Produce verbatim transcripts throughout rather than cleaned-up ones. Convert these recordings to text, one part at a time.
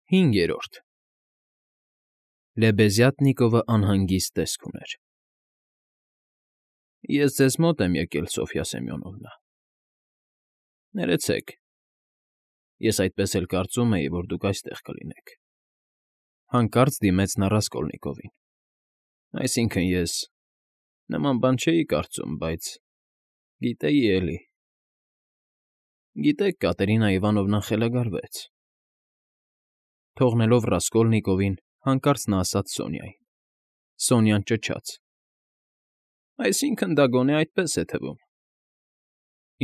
Հինգերորդ Լեբեզյատնիկովը անհանգիստ տեսք ուներ։ ֊ Ես ձեզ մոտ եմ եկել, Սոֆյա Սեմյոնովնա… Ներեցեք, ես այդպես էլ կարծում էի, որ դուք այստեղ կլինեք,֊ հանկարծ դիմեց նա Ռասկոլնիկովին,֊ այսինքն՝ ես նման բան չէի կարծում, բայց… գիտեի էլի… Գիտեք, Կատերինա Իվանովնան խելագարվեց… Թողնելով Ռասկոլնիկովին, հանկարծ նա ասաց Սոնյային։ Սոնյան ճչաց. ֊ Այսինքն՝ դա գոնե այդպես է թվում…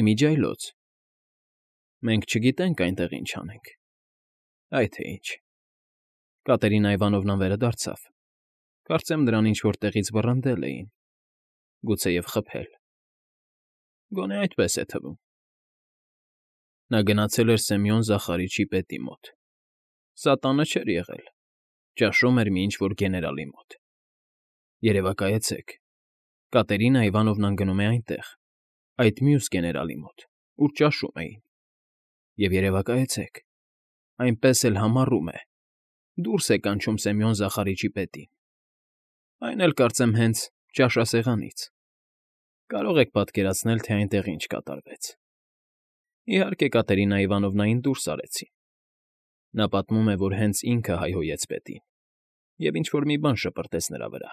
Իմիջիայլոց… Մենք չգիտենք այնտեղ ինչ անենք… Այ թե ինչ… Կատերինա Իվանովնան վերադարձավ… Կարծեմ նրան ինչ֊որ տեղից վռնդել էին… Գուցեև խփել… Գոնե այդպես է թվում… Նա գնացել էր Սեմյոն Զախարիչի պետի մոտ… Սա տանը չէր եղել… Ճաշում էր մի ինչ֊որ գեներալի մոտ… Երևակայեցեք… Կատերինա Իվանովնան գնում է այնտեղ, այդ մյուս գեներալի մոտ, ուր ճաշում էին… Եվ երևակայեցեք… Այնպես էլ համառում է… Դուրս է կանչում Սեմյոն Զախարիչի պետին… Այն էլ, կարծեմ, հենց ճաշասեղանից… Կարող եք պատկերացնել, թե այնտեղ ինչ կատարվեց… Իհարկե, Կատերինա Իվանովնային դուրս արեցին… Նա պատմում է, որ հենց ինքը հայհոյեց պետին և ինչ֊որ մի բան շպրտեց նրա վրա…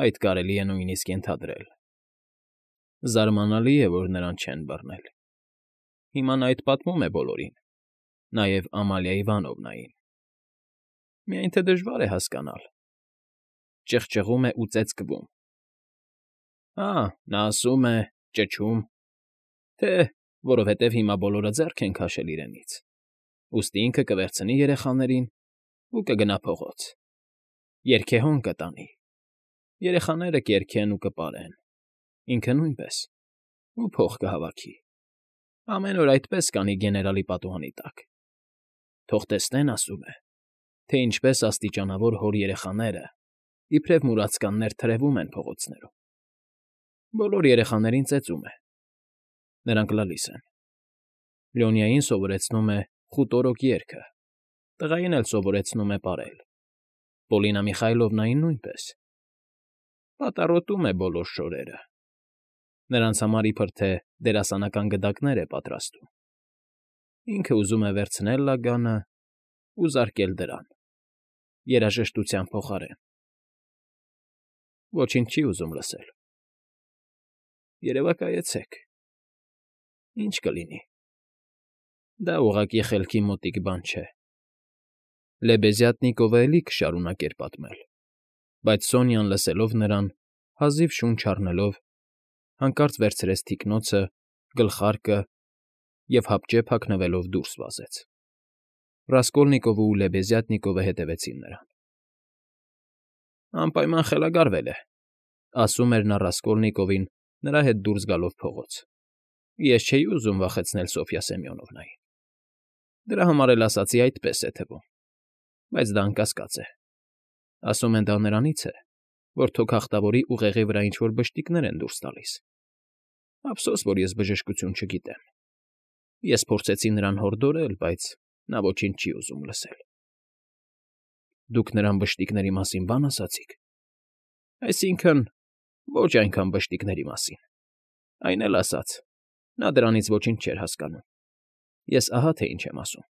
Այդ կարելի է նույնիսկ ենթադրել… Զարմանալի է, որ նրան չեն բռնել… Հիմա նա այդ պատմում է բոլորին, նաև Ամալիա Իվանովնային… Միայն թե դժվար է հասկանալ… Ճղճղում է ու ծեծկվում… Հա, նա ասում է, ճչում, թե որովհետև հիմա բոլորը ձեռք են քաշել իրենից, ուստի ինքը կվերցնի երեխաներին ու կգնա փողոց… Երգեհոն կտանի… Երեխաները կերգեն ու կպարեն… Ինքը նույնպես… Ու փող կհավաքի… Ամեն օր այդպես կանի գեներալի պատուհանի տակ… Թող տեսնեն, ասում է, թե ինչպես աստիճանավոր հոր երեխաները, իբրև մուրացկաններ, թրևում են փողոցներում… Բոլոր երեխաներին ծեծում է… Նրանք լալիս են… Լյոնիային սովորեցնում է խուտորոկ երգը, տղային էլ սովորեցնում է պարել, Պոլինա Միխայլովնային նույնպես… Պատառոտում է բոլոր շորերը… Նրանց համար իբրև թե դերասանական գդակներ է պատրաստում… Ինքը ուզում է վերցնել լագանը ու զարկել դրան… Երաժշտության փոխարեն… Ոչինչ չի ուզում լսել… Երևակայեցեք… Ինչ կլինի… Դա ուղղակի խելքի մոտիկ բան չէ… Լեբեզյատնիկովը էլի կշարունակեր պատմել, բայց Սոնյան, լսելով նրան, հազիվ շունչ առնելով, հանկարծ վերցրեց թիկնոցը, գլխարկը և հապճեպ հագնվելով դուրս վազեց… Ռասկոլնիկովը ու Լեբեզյատնիկովը հետևեցին նրան… Անպայման խելագարվել է,֊ ասում էր նա Ռասկոլնիկովին նրա հետ դուրս գալով փողոց… Ես չէի ուզում վախեցնել Սոֆյա Սեմյոնովնային… Դրա համար էլ ասացի այդպես է թվում… Բայց դա անկասկած է… Ասում են, դա նրանից է, որ թոքախտավորի ուղեղի վրա ինչ֊որ բշտիկներ են դուրս տալիս… Ափսոս, որ ես բժշկություն չգիտեմ… Ես փորձեցի նրան հորդորել, բայց նա ոչինչ չի ուզում լսել… Դուք նրան բշտիկների մասին բան ասացի՞ք… Այսինքն՝ ոչ այնքան բշտիկների մասին… Այն էլ ասաց, նա դրանից ոչինչ չէր հասկանում… Ես ահա թե ինչ եմ ասում…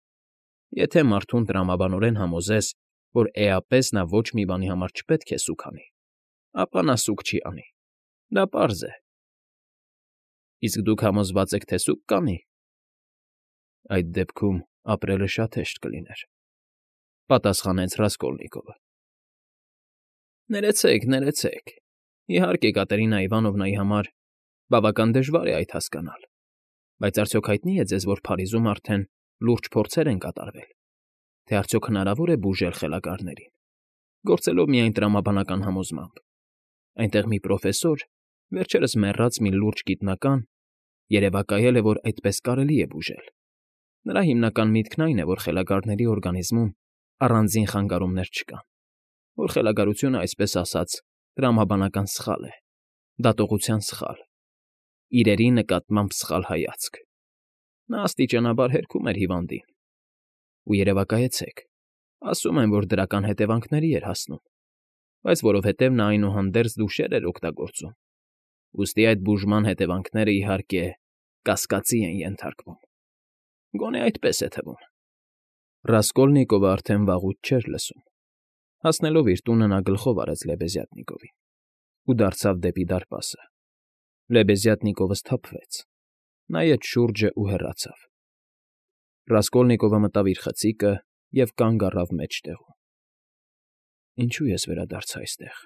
Եթե մարդուն տրամաբանորեն համոզես, որ էապես նա ոչ մի բանի համար չպետք է սուգ անի, ապա նա սուգ չի անի… Դա պարզ է… Իսկ դուք համոզվա՞ծ եք, թե սուգ կանի… Այդ դեպքում ապրելը շատ հեշտ կլիներ,֊ պատասխանեց Ռասկոլնիկովը… Ներեցեք, ներեցեք… Իհարկե, Կատերինա Իվանովնայի համար բավական դժվար է այդ հասկանալ… Բայց արդյոք հայտնի է ձեզ, որ Փարիզում արդեն լուրջ փորձեր են կատարվել, թե արդյոք հնարավոր է բուժել խելագարներին, գործելով միայն տրամաբանական համոզմամբ… Այնտեղ մի պրոֆեսոր, վերջերս մեռած մի լուրջ գիտնական, երևակայել է, որ այդպես կարելի է բուժել… Նրա հիմնական միտքն այն է, որ խելագարների օրգանիզմում առանձին խանգարումներ չկան, որ խելագարությունը, այսպես ասած, տրամաբանական սխալ է, դատողության սխալ, իրերի նկատմամբ սխալ հայացք… Նա աստիճանաբար հերքում էր հիվանդին… ու երևակայեցեք, ասում են, որ դրական հետևանքների էր հասնում, բայց որովհետև նա այնուհանդերձ դուշեր էր օգտագործում, ուստի այդ բուժման հետևանքները, իհարկե, կասկածի են ենթարկվում, գոնե այդպես է թվում։ Ռասկոլնիկովը արդեն վաղուց չէր լսում։ Հասնելով իր տունը նա գլխով արեց Լեբեզյատնիկովին ու դարձավ դեպի դարպասը։ Լեբեզյատնիկովը սթափվեց, նայեց շուրջը ու հեռացավ։ Ռասկոլնիկովը մտավ իր խցիկը և կանգ առավ մեջտեղում։ Ինչո՞ւ ես վերադարձա այստեղ։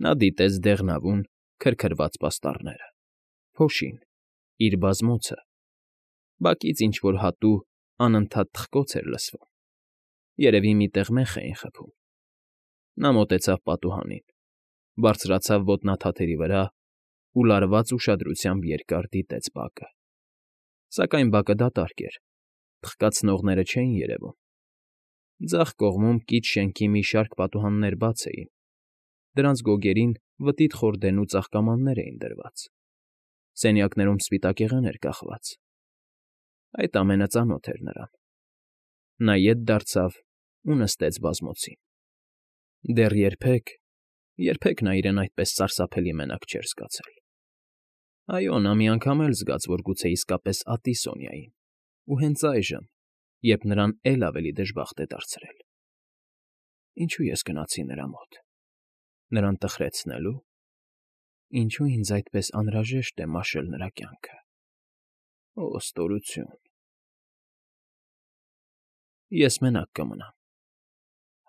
Նա դիտեց դեղնավուն, քրքրված պաստառները, փոշին, իր բազմոցը, բակից ինչ֊որ հատու անընդհատ թխկոց էր լսվում, երևի մի տեղ մեխ էին խփում։ Նա մոտեցավ պատուհանին, բարձրացավ ոտնաթաթերի վրա ու լարված ուշադրությամբ երկար դիտեց բակը։ Սակայն բակը դատարկ էր, թխկացնողները չէին երևում։ Ձախ կողմում կից շենքի մի շարք պատուհաններ բաց էին, դրանց գոգերին վտիտ խորդենու ծաղկամաններ էին դրված, սենյակներում սպիտակեղեն էր կախված։ Այդ ամենը ծանոթ էր նրան։ Նա ետ դարձավ ու նստեց բազմոցին։ Դեռ երբեք, երբեք նա իրեն այդպես սարսափելի մենակ չէր զգացել։ Այո, նա մի անգամ էլ զգաց, որ գուցե իսկապես ատի Սոնյային, ու հենց այժմ, երբ նրան էլ ավելի դժբախտ է դարձրել։ Ինչո՞ւ ես գնացի նրա մոտ։ Նրան տխրեցնելու։ Ինչո՞ւ ինձ այդպես անհրաժեշտ է մաշել նրա կյանքը։ Օ, ստորություն։ Ես մենակ կմնամ,֊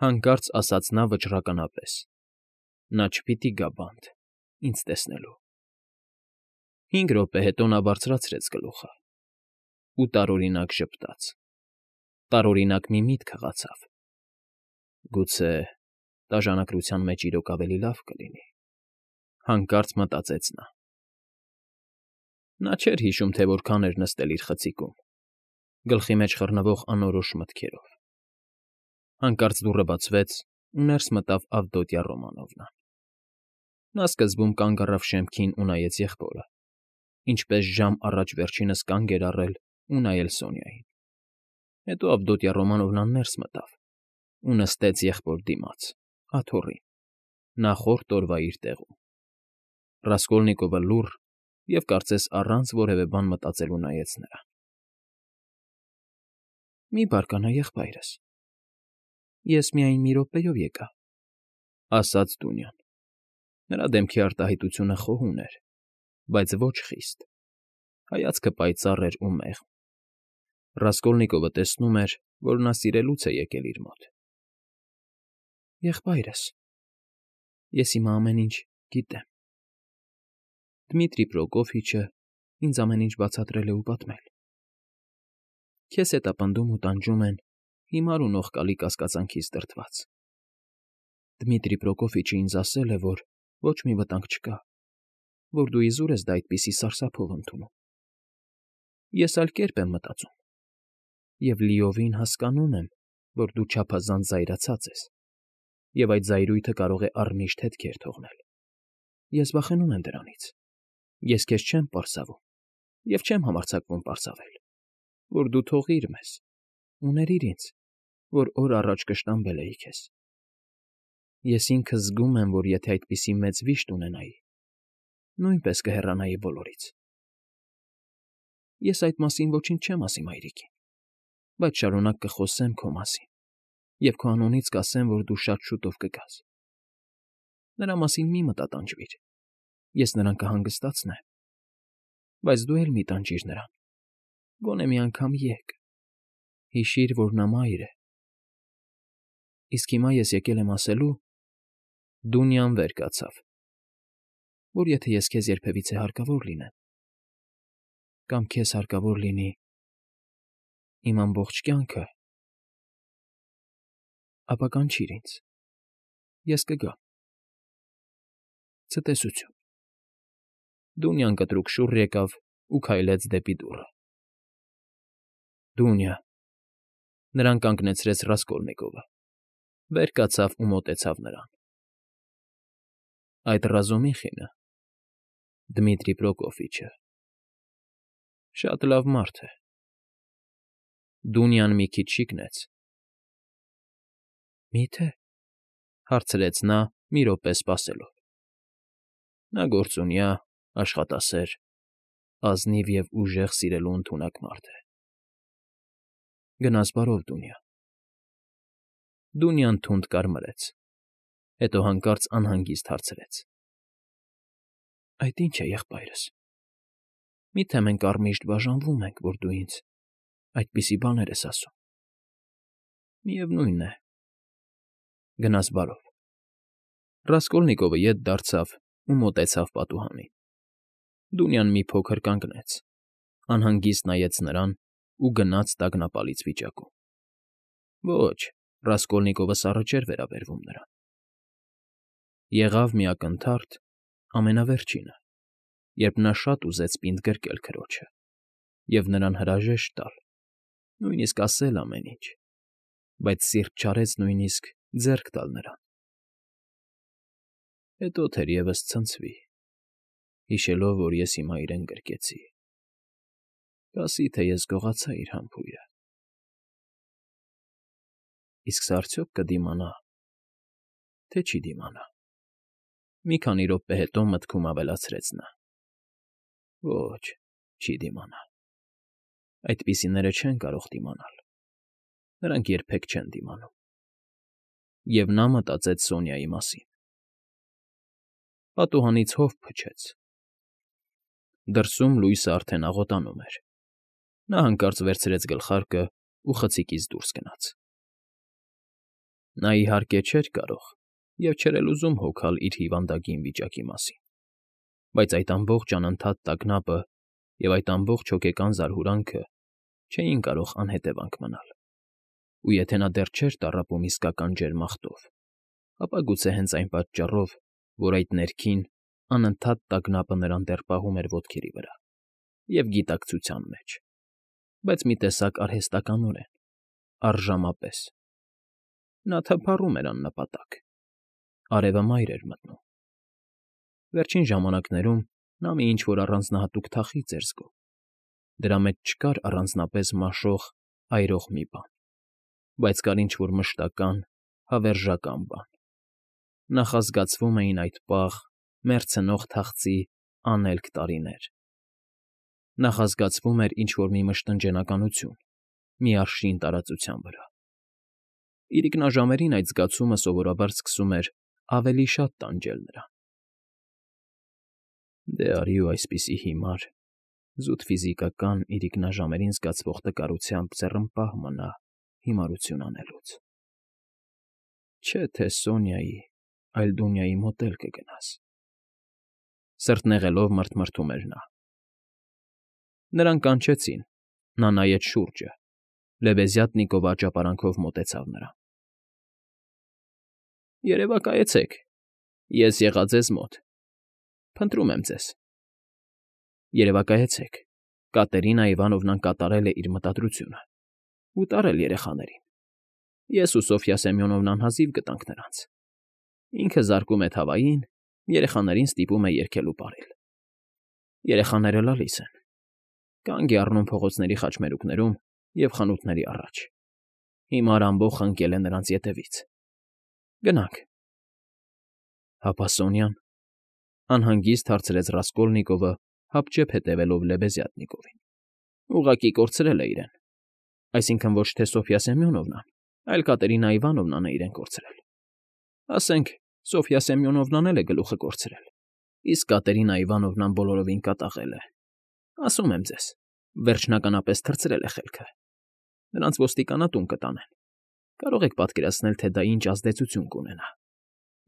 հանկարծ ասաց նա վճռականապես։ Նա չպիտի գա բանտ ինձ տեսնելու։ Հինգ րոպե հետո նա բարձրացրեց գլուխը ու տարօրինակ ժպտաց, տարօրինակ մի միտք հղացավ. «Գուցե տաժանակրության մեջ իրոք ավելի լավ կլինի,֊ հանկարծ մտածեց նա։ Նա չէր հիշում, թե որքան էր նստել իր խցիկում, գլխի մեջ խռնվող անորոշ մտքերով։ Հանկարծ դուռը բացվեց, ու ներս մտավ Ավդոտյա Ռոմանովնան։ Նա սկզբում կանգ առավ շեմքին ու նայեց եղբորը, ինչպես ժամ առաջ վերջինս կանգ էր առել ու նայել Սոնյային։ Հետո Ավդոտյա Ռոմանովնան ներս մտավ ու նստեց եղբոր դիմաց, աթոռին, նախորդ օրվա իր տեղում։ Ռասկոլնիկովը լուռ և, կարծես առանց որևէ բան մտածելու նայեց նրան։ ֊ Մի բարկանա, եղբայրս, ես միայն մի րոպեով եկա,֊ ասաց Դունյան։ Նրա դեմքի արտահայտությունը խոհուն էր, բայց ոչ խիստ, հայացքը պայծառ էր ու մեղմ։ Ռասկոլնիկովը տեսնում էր, որ նա սիրելուց է եկել իր մոտ։ ֊ Եղբայրս, ես հիմա ամեն ինչ գիտեմ։ Դմիտրի Պրոկոֆիչը ինձ ամեն ինչ բացատրել է ու պատմել։ Քեզ հետապնդում ու տանջում են հիմար ու նողկալի կասկածանքից դրդված։ Դմիտրի Պրոկոֆիչը ինձ ասել է, որ ոչ մի վտանգ չկա, որ դու իզուր ես դա այդպիսի սարսափով ընդունում։ Ես այլ կերպ եմ մտածում և լիովին հասկանում եմ, որ դու չափազանց զայրացած ես, և այդ զայրույթը կարող է առմիշտ հետքեր թողնել։ Ես վախենում եմ դրանից։ Ես քեզ չեմ պարզավում և չեմ համարձակվում պարզավել, որ դու թողիր մեզ ու ներիր ինձ, որ օր առաջ կշտամբել էի քեզ։ Ես ինքս զգում եմ, որ եթե այդպիսի մեծ վիշտ ունենայի, նույնպես կհեռանայի բոլորից։ Ես այդ մասին ոչինչ չեմ ասի մայրիկին, բայց շարունակ կխոսեմ քո մասին և քո անունից կասեմ, որ դու շատ շուտով կգաս։ Նրա մասին մի մտատանջվիր, ես նրան կհանգստացնեմ, բայց դու էլ մի տանջիր նրան, գոնե մի անգամ եկ, հիշիր, որ նա մայր է։ Իսկ հիմա ես եկել եմ ասելու,֊ Դունյան վեր կացավ,֊ որ եթե ես քեզ երբևիցե հարկավոր լինեմ, կամ քեզ հարկավոր լինի իմ ամբողջ կյանքը, ապա կանչիր ինձ, ես կգամ։ Ցտեսություն։ Դունյան կտրուկ շուռ եկավ ու քայլեց դեպի դուռը։ Դունյա…֊ Նրան կանգնեցրեց Ռասկոլնիկովը, վեր կացավ ու մոտեցավ նրան։ Այդ Ռազումիխինը, Դմիտրի Պրոկոֆիչը, շատ լավ մարդ է։ Դունյան մի քիչ շիկնեց։ ֊ Մի՞թե,֊ հարցրեց նա, մի րոպե սպասելով։ Նա գործունյա, աշխատասեր, ազնիվ և ուժեղ սիրելու ընդունակ մարդ է։ ֊ Գնաս բարով, Դունյա… Դունյան թունդ կարմրեց, հետո հանկարծ անհանգիստ հարցրեց. ֊ Այդ ի՞նչ է, եղբայրս… Մի՞թե մենք առմիշտ բաժանվում ենք, որ դու ինձ այդպիսի բաներ ես ասում… Միևնույն է… Գնաս բարով… Ռասկոլնիկովը ետ դարձավ ու մոտեցավ պատուհանին։ Դունյան մի փոքր կանգնեց, անհանգիստ նայեց նրան ու գնաց տագնապալից վիճակում։ Ոչ, Ռասկոլնիկովը սառը չէր վերաբերվում նրան։ Եղավ մի ակնթարթ, ամենավերջինը, երբ նա շատ ուզեց պինդ գրկել քրոջը և նրան հրաժեշտ տալ, նույնիսկ ասել ամեն ինչ, բայց սիրտ չարեց նույնիսկ ձեռք տալ նրան։ Հետո թերևս ցնցվի, հիշելով, որ ես հիմա իրեն գրկեցի, կասի, թե ես գողացա իր համբույրը… Իսկ սա արդյոք կդիմանա, թե չի դիմանա… Մի քանի րոպե հետո մտքում ավելացրեց նա. Ոչ, չի դիմանա… Այդպիսիները չեն կարող դիմանալ, նրանք երբեք չեն դիմանում… Եվ նա մտածեց Սոնյայի մասին… Պատուհանից հով փչեց… Դրսում լույսը արդեն աղոտանում էր… Նա հանկարծ վերցրեց գլխարկն ու խցիկից դուրս գնաց… Նա, իհարկե, չէր կարող և չէր էլ ուզում հոգալ իր հիվանդագին վիճակի մասին, բայց այդ ամբողջ անընդհատ տագնապը և այդ ամբողջ հոգեկան զարհուրանքը չէին կարող անհետևանք մնալ, ու եթե նա դեռ չէր տառապում իսկական ջերմախտով, ապա գուցե հենց այն պատճառով, որ այդ ներքին, անընդհատ տագնապը նրան դեռ պահում էր ոտքերի վրա և գիտակցության մեջ, բայց մի տեսակ արհեստականորեն, առժամապես… Նա թափառում էր աննպատակ, արևը մայր էր մտնում… Վերջին ժամանակներում նա մի ինչ֊որ առանձնահատուկ թախիծ էր զգում, դրա մեջ չկար առանձնապես մաշող, այրող մի բան, բայց կար ինչ֊որ մշտական, հավերժական բան… Նախազգացվում էին այդ պաղ, մեռցնող թախծի անելք տարիներ… Նախազգացվում էր ինչ֊որ մի մշտնջենականություն, մի արշին տարածության վրա… Իրիկնաժամերին այդ զգացումը սովորաբար սկսում էր ավելի շատ տանջել նրան… Դե արի ու այսպիսի հիմար, զուտ ֆիզիկական, իրիկնաժամերին զգացվող տկարությամբ ձեռնպահ մնա հիմարություն անելուց… Չէ թե Սոնյայի, այլ Դունյայի մոտ էլ կգնաս… Սրտնեղելով մռթմռթում էր նա… Նրան կանչեցին, նա նայեց շուրջը, լեբեզյատնիկովը աճապարանքով մոտեցավ նրան։ ֊ Երևակայեցեք, ես եղա ձեզ մոտ, փնտրում եմ ձեզ… Երևակայեցեք, Կատերինա Իվանովնան կատարել է իր մտադրությունը, ուտարել երեխաներին, ես ու Սոֆյա Սեմյոնովնան հազիվ գտանք նրանց… Ինքը զարկում է թավային, երեխաներին ստիպում է երգել ու պարել… Երեխաները լալիս են, կանգ է առնում փողոցների խաչմերուկներում և խանութների առաջ… Հիմար ամբոխն ընկել է նրանց ետևից… Գնանք… ֊ Հապա Սոնյան,֊ անհանգիստ հարցրեց Ռասկոլնիկովը, հապճեպ հետևելով լեբեզյատնիկովին։ ֊ Ուղղակի կորցրել է իրեն… Այսինքն ոչ թե Սոֆյա Սեմյոնովնան, այլ Կատերինա Իվանովնան է իրեն կորցրել… Ասենք, Սոֆյա Սեմյոնովնան էլ է գլուխը կորցրել, իսկ Կատերինա Իվանովնան բոլորովին կատաղել է… Ասում եմ ձեզ, վերջնականապես թռցրել է խելքը… Նրանց ոստիկանատուն կտանեն… Կարող եք պատկերացնել, թե դա ինչ ազդեցություն կունենա…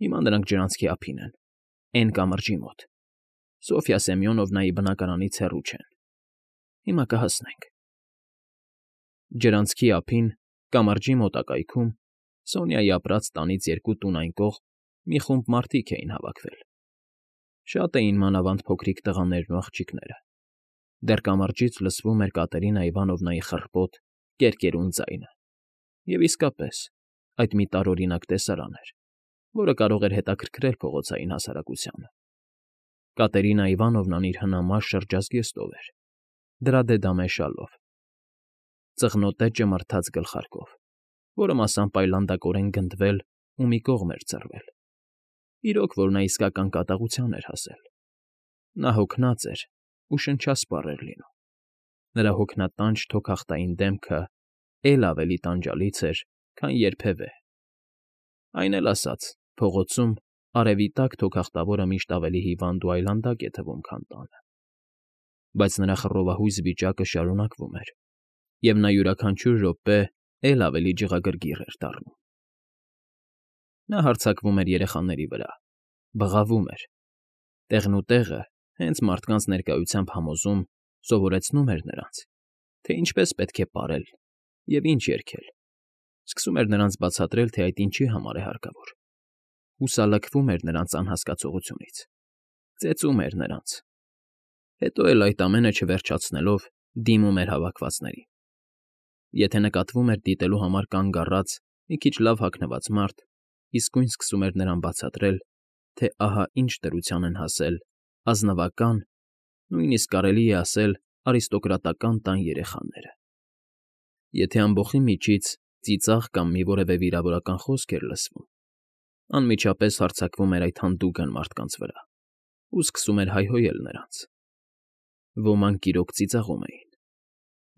Հիմա նրանք ջրանցքի ափին են, Էն կամրջի մոտ, Սոֆյա Սեմյոնովնայի բնակարանից հեռու չեն… Հիմա կհասնենք… Ջրանցքի ափին, կամրջի մոտակայքում, Սոնյայի ապրած տանից երկու տուն այն կողմ մի խումբ մարդիկ էին հավաքվել… Շատ էին մանավանդ փոքրիկ տղաներն ու աղջիկները… Դեռ կամրջից լսվում էր Կատերինա Իվանովնայի խռպոտ, կերկերուն ձայնը… Եվ իսկապես, այդ մի տարօրինակ տեսարան էր, որը կարող էր հետաքրքրել փողոցային հասարակությանը… Կատերինա Իվանովնան իր հնամաշ շրջազգեստով էր, դրադե դամե շալով, ծղնոտե ճմրթաց գլխարկով, որը մասամբ այլանդակորեն գնդվել ու մի կողմ էր ծռվել. իրոք որ նա իսկական կատաղության էր հասել. նա հոգնած էր ու շնչասպառ էր լինում. նրա հոգնատանջ թոքախտային դեմքը էլ ավելի տանջալից էր, քան երբևէ. այն էլ ասած, փողոցում արևի տակ թոքախտավորը միշտ ավելի հիվանդ ու այլանդակ է թվում, քան տանը. բայց նրա խռովահույս վիճակը շարունակվում էր, և նա յուրաքանչյուր րոպե էլ ավելի ջղագրգիռ էր դառնում. նա հարձակվում էր երեխաների վրա, բղավում էր. տեղնուտեղը, հենց մարդկանց ներկայությամբ համոզում, սովորեցնում էր նրանց, թե ինչպես պետք է պարել և ինչ երգել, սկսում էր նրանց բացատրել, թե այդ ինչի համար է հարկավոր, հուսալքվում էր նրանց անհասկացողությունից, ծեծում էր նրանց, հետո էլ այդ ամենը չվերջացնելով դիմում էր հավաքվածներին. եթե նկատվում էր դիտելու համար կանգ առած մի քիչ լավ հագնված մարդ, իսկույն սկսում էր նրան բացատրել, թե ահա ինչ դրության են հասել ազնվական, նույնիսկ կարելի է ասել արիստոկրատական տան երեխաները. եթե ամբոխի միջից ծիծաղ կամ մի որևէ վիրավորական խոսք էր լսվում, անմիջապես հարձակվում էր այդ հանդուգն մարդկանց վրա ու սկսում էր հայհոյել նրանց. ոմանք իրոք ծիծաղում էին,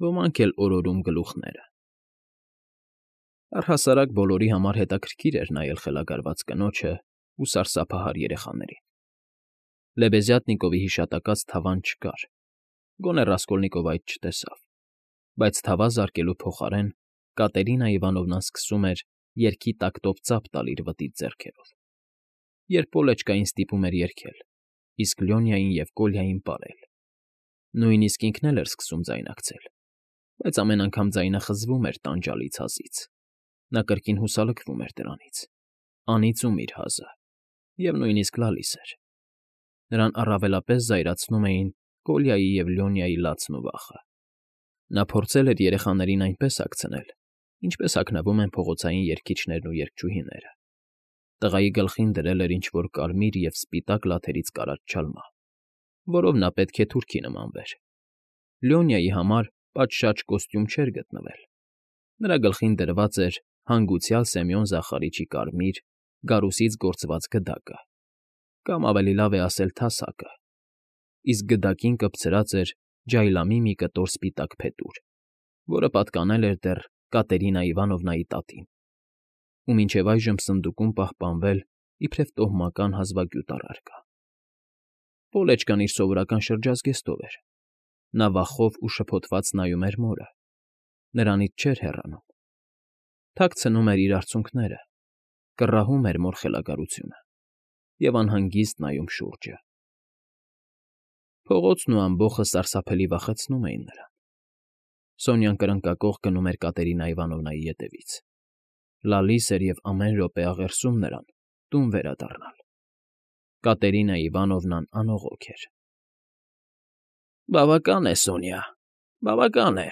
ոմանք էլ օրորում գլուխները. առհասարակ բոլորի համար հետաքրքիր էր նայել խելագարված կնոջն ու սարսափահար երեխաներին. Լեբեզյատնիկովի հիշատակած թավան չկար, գոնե Ռասկոլնիկովը այդ չտեսավ, բայց թավա զարկելու փոխարեն Կատերինա Իվանովնան սկսում էր երգի տակտով ծափ տալ իր վտիտ ձեռքերով, երբ Օլեչկային ստիպում էր երգել, իսկ Լյոնիային և Կոլյային պարել. նույնիսկ ինքն էլ էր սկսում ձայնարկել, բայց ամեն անգամ ձայնը խզվում էր տանջալից հազից, նա կրկին հուսալքվում էր դրանից, անիծում իր հազը, և նույնիսկ լալիս էր. նրան առավելապես զայրացնում էին Կոլյայի և Լյոնիայի լացն ու վախը. նա փորձել էր երեխաներին այնպես հագցնել, ինչպես հագնվում են փողոցային երգիչներն ու երգչուհիները. տղայի գլխին դրել էր ինչ֊որ կարմիր և սպիտակ լաթերից կարած չալմա, որով նա պետք է թուրքի նմանվեր. Լյոնիայի համար պատշաճ կոստյում չէր գտնվել. նրա գլխին դրված էր հանգուցյալ Սեմյոն Զախարիչի կարմիր, գարուսից գործված գդակը, կամ ավելի լավ է ասել թասակը, իսկ գդակին կպցրած էր ջայլամի մի կտոր սպիտակ փետուր, որը պատկանել էր դեռ Կատերինա Իվանովնայի տատին, ու մինչև այժմ սնդուկում պահպանվել իբրև տոհմական հազվագյուտ առարկա. Օլեչկան իր սովորական շրջազգեստով էր. նա վախով ու շփոթված նայում էր մորը, նրանից չէր հեռանում, թաքցնում էր իր արցունքները, կռահում էր մոր խելագարությունը և անհանգիստ նայում շուրջը. փողոցն ու ամբոխը սարսափելի վախեցնում էին նրան. Սոնյան կրնկակոխ գնում էր Կատերինա Իվանովնայի ետևից, լալիս էր և ամեն րոպե աղերսում նրան տուն վերադառնալ. Կատերինա Իվանովնան անողոք էր։ ֊ Բավական է, Սոնյա, բավական է,֊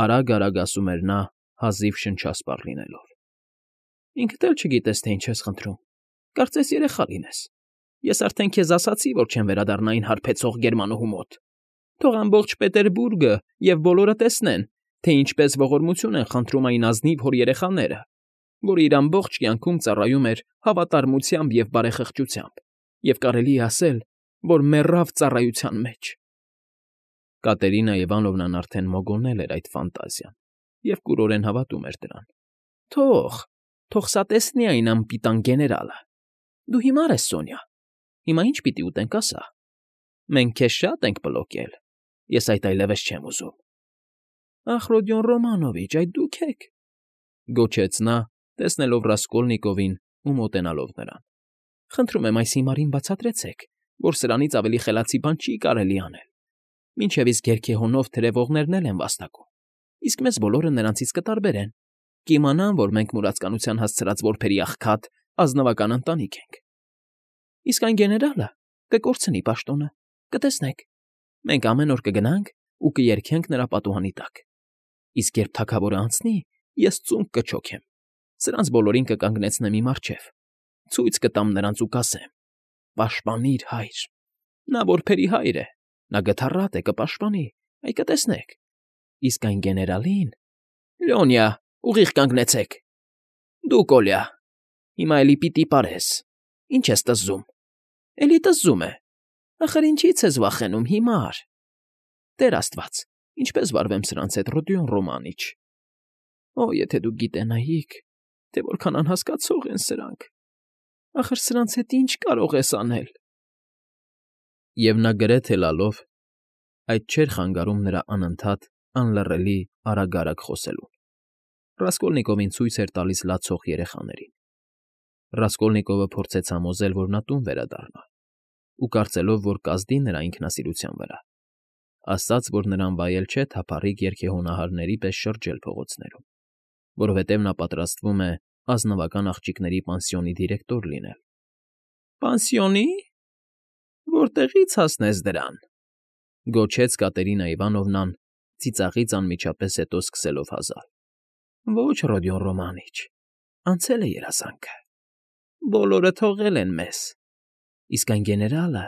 արագ֊արագ ասում էր նա, հազիվ շնչասպառ լինելով։ ֊ Ինքդ էլ չգիտես, թե ինչ ես խնդրում, կարծես երեխա լինես. ես արդեն քեզ ասացի, որ չեմ վերադառնա այն հարբեցող գերմանուհու մոտ, թող ամբողջ Պետերբուրգը և բոլորը տեսնեն, թե ինչպես ողորմություն են խնդրում այն ազնիվ հոր֊երեխաները, որը իր ամբողջ կյանքում ծառայում էր հավատարմությամբ և բարեխղճությամբ, և կարելի է ասել, որ մեռավ ծառայության մեջ… Կատերինա Իվանովնան արդեն մոգոնել էր այդ ֆանտազիան և կուրորեն հավատում էր դրան։ ֊ Թող, թող սա տեսնի այն անպիտան գեներալը… Դու հիմար ես, Սոնյա, հիմա ի՞նչ պիտի ուտենք, ասա… Մենք քեզ շատ ենք պլոկել, ես այդ այլևս չեմ ուզում… ֊ Ախ, Ռոդիոն Ռոմանովիչ, այդ դու՞ք եք,֊ գոչեց նա, տեսնելով Ռասկոլնիկովին ու մոտենալով նրան։֊ Խնդրում եմ, այս հիմարին բացատրեցեք, որ սրանից ավելի խելացի բան չի կարելի անել… Մինչև իսկ երգեհոնով թրևողներն էլ են վաստակում, իսկ մեզ բոլորը նրանցից կտարբերեն, կիմանան, որ մենք մուրացկանության հասցրած որբերի աղքատ, ազնվական ընտանիք ենք… Իսկ այն գեներալը կկորցնի պաշտոնը, կտեսնեք… Մենք ամեն օր կգնանք ու կերգենք նրա պատուհանի տակ, իսկ երբ թագավորն անցնի, ես ծունկ կչոքեմ, սրանց բոլորին կկանգնեցնեմ իմ առջև, ցույց կտամ նրանց ու կասեմ. «Պաշտպանիր, հայր… Նա որբերի հայր է, նա գթառատ է, կպաշտպանի, այ կտեսնեք… Իսկ այն գեներալին… Լյոնյա, ուղիղ կանգնեցեք… Դու, Կոլյա, հիմա էլի պիտի պարես, ինչ ես տզզում… Էլի տզզում է… Ախր ինչի՞ց ես վախենում, հիմար… Տեր աստված, ինչպես վարվեմ սրանց հետ, Ռոդիոն Ռոմանիչ… Օ, եթե դուք գիտենայիք, թե որքան անհասկացող են սրանք… Ախր սրանց հետ ի՞նչ կարող ես անել… Եվ նա գրեթե լալով (այդ չէր խանգարում նրա անընդհատ, անլռելի արագ֊արագ խոսելուն) Ռասկոլնիկովին ցույց էր տալիս լացող երեխաներին… Ռասկոլնիկովը փորձեց համոզել, որ նա տուն վերադառնա, ու կարծելով, որ կազդի նրա ինքնասիրության վրա, ասաց, որ նրան վայել չէ թափառիկ երգեհոնահարների պես շրջել փողոցներում, որովհետև նա պատրաստվում է ազնվական աղջիկների պանսիոնի դիրեկտոր լինել։ ֊ Պանսիոնի՞… Որտեղի՞ց հասնես դրան,֊ գոչեց Կատերինա Իվանովնան, ծիծաղից անմիջապես հետո սկսելով հազալ։ ֊ Ո՛չ, Ռոդիոն Ռոմանիչ, անցել է երազանքը… Բոլորը թողել են մեզ… Իսկ այն գեներալը…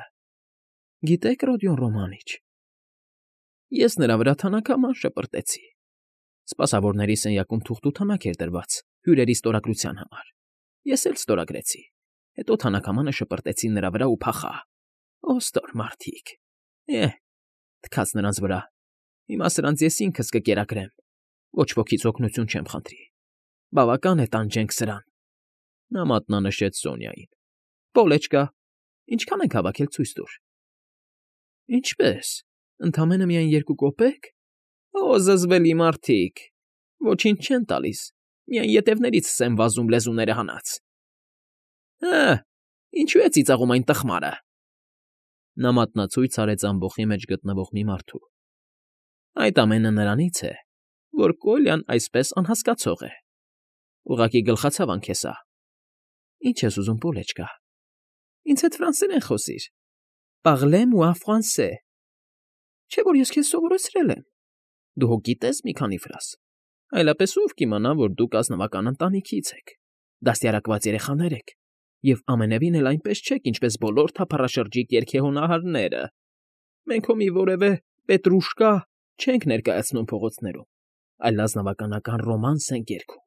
Գիտե՞ք, Ռոդիոն Ռոմանիչ, ես նրա վրա թանաքաման շպրտեցի… Սպասավորների սենյակում թուղթ ու թանակ էր դրված հյուրերի ստորագրության համար… Ես էլ ստորագրեցի, հետո թանաքամանը շպրտեցի նրա վրա ու փախա… Օ՜, ստոր մարդիկ… Էհ, թքած նրանց վրա… Հիմա սրանց ես ինքս կկերակրեմ… Ոչ ոքից օգնություն չեմ խնդրի… Բավական է, տանջենք սրան… Նա մատնանշեց Սոնյային։ ֊ Պոլեչկա, ինչքան ենք հավաքել, ցույց տուր… Ինչպե՞ս, ընդամենը միայն երկու կոպե՞կ… Օ, զզվելի մարդիկ… Ոչինչ չեն տալիս, միայն ետևներից եմ վազում լեզուները հանած… Հը՜, ինչո՞ւ է ծիծաղում այն տխմարը… Նա մատնացույց արեց ամբոխի մեջ գտնվող մի մարդու։ Այդ ամենը նրանից է, որ Կոլյան այսպես անհասկացող է… Ուղղակի գլխացավ անքեսա… Ինչ ես ուզում, Պոլեչկա… Ինձ հետ ֆրանսերեն խոսիր… Parlez֊moi français… Չէ՞ որ ես քեզ սովորեցրել եմ… Դու հո գիտես մի քանի ֆրազ… Այլապես ո՞վ կիմանա, որ դուք ազնվական ընտանիքից եք, դաստիարակված երեխաներ եք և ամենևին էլ այնպես չեք, ինչպես բոլոր թափառաշրջիկ երգեհոնահարները… Մենք հո մի որևէ Պետրուշկա չենք ներկայացնում փողոցներում, այլ ազնվականական ռոմանս ենք երգում…